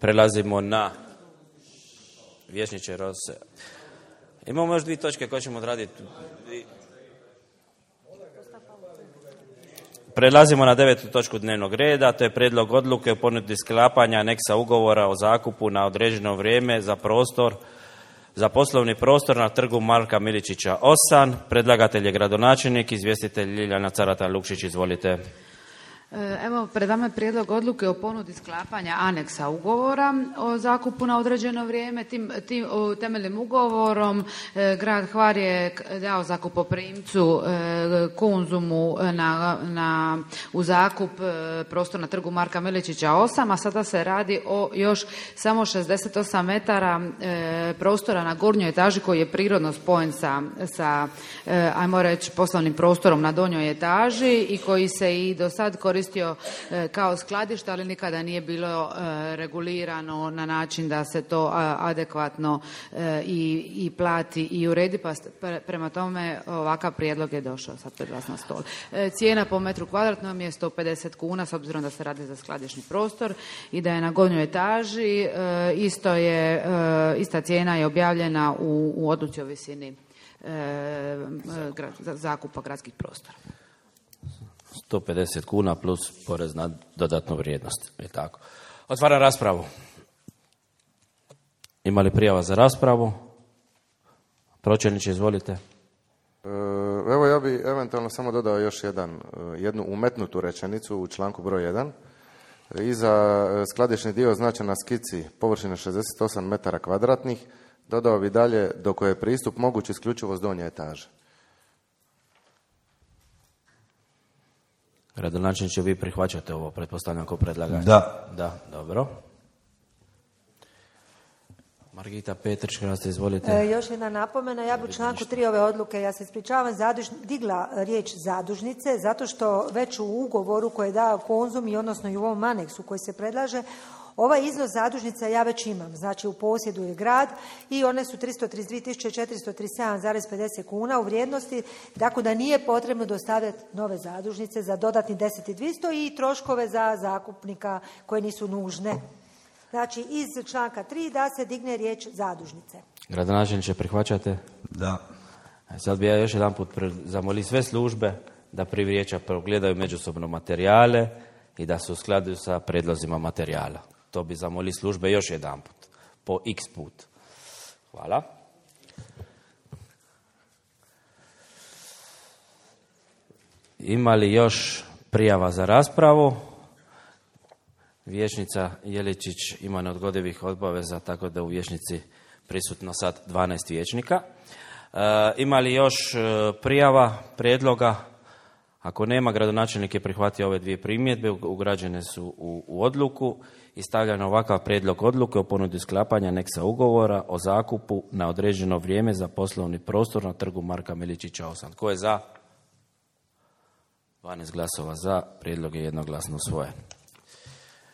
Prelazimo na vijećniče Rose. Imamo još 2 točke koje ćemo odraditi. Prelazimo na 9. točku dnevnog reda, to je prijedlog odluke o ponudi sklapanja aneksa ugovora o zakupu na određeno vrijeme za poslovni prostor na trgu Marka Miličića 8. Predlagatelj je gradonačelnik, izvjestitelj Ljiljana Carata-Lukšić, izvolite. Evo, pred vama je prijedlog odluke o ponudi sklapanja aneksa ugovora o zakupu na određeno vrijeme. Tim temeljnim ugovorom grad Hvar je dao zakupoprimcu Konzumu u zakup prostor na trgu Marka Miličića 8, a sada se radi o još samo 68 metara prostora na gornjoj etaži koji je prirodno spojen sa ajmo reći, poslovnim prostorom na donjoj etaži i koji se i do sad koristio kao skladište, ali nikada nije bilo regulirano na način da se to adekvatno i plati i uredi, pa prema tome ovakav prijedlog je došao sad pred vas na stol. Cijena po metru kvadratnom je 150 kuna, s obzirom da se radi za skladišni prostor i da je na gornjoj etaži. Ista cijena je objavljena u odluci o visini zakupa gradskih prostora. 150 kuna plus porez na dodatnu vrijednost. Je tako. Otvaram raspravu. Ima li prijava za raspravu? Pročelniče, izvolite. Evo, ja bi eventualno samo dodao još jednu umetnutu rečenicu u članku broj 1. Iza skladišni dio označen na skici površine 68 metara kvadratnih, dodao bi dalje do koje je pristup moguć isključivo s donje etaže. Gradonačelniče, vi prihvaćate ovo, pretpostavljam, kao predlagač? Da, dobro. Margita Petrić, izvolite. Još jedna napomena, ja bi u članku 3 ove odluke, ja se ispričavam, digla riječ zadužnice, zato što već u ugovoru koje je dao Konzum i odnosno i u ovom aneksu koji se predlaže, ovaj iznos zadužnica ja već imam, znači u posjedu je grad i one su 332.437,50 kuna u vrijednosti, tako da nije potrebno dostavljati nove zadužnice za dodatni 10.200 i troškove za zakupnika koje nisu nužne. Znači iz članka 3 da se digne riječ zadužnice. Gradonačelniče, prihvaćate? Da. Sad bi ja još jedan put zamolio sve službe da prije vijeća progledaju međusobno materijale i da se uskladuju sa predlozima materijala. To bi zamolili službe još jedan put, po x put. Hvala. Ima li još prijava za raspravu? Vijećnica Jeličić ima neodgodivih obaveza, tako da u vijećnici prisutno sad 12 vijećnika. Ima li još prijava, prijedloga? Ako nema, gradonačelnik je prihvatio ove 2 primjedbe, ugrađene su u odluku i stavljano ovakav prijedlog odluke o ponudi sklapanja aneksa ugovora o zakupu na određeno vrijeme za poslovni prostor na trgu Marka Miličića 8. Tko je za? 12 glasova za, prijedlog je jednoglasno usvojen.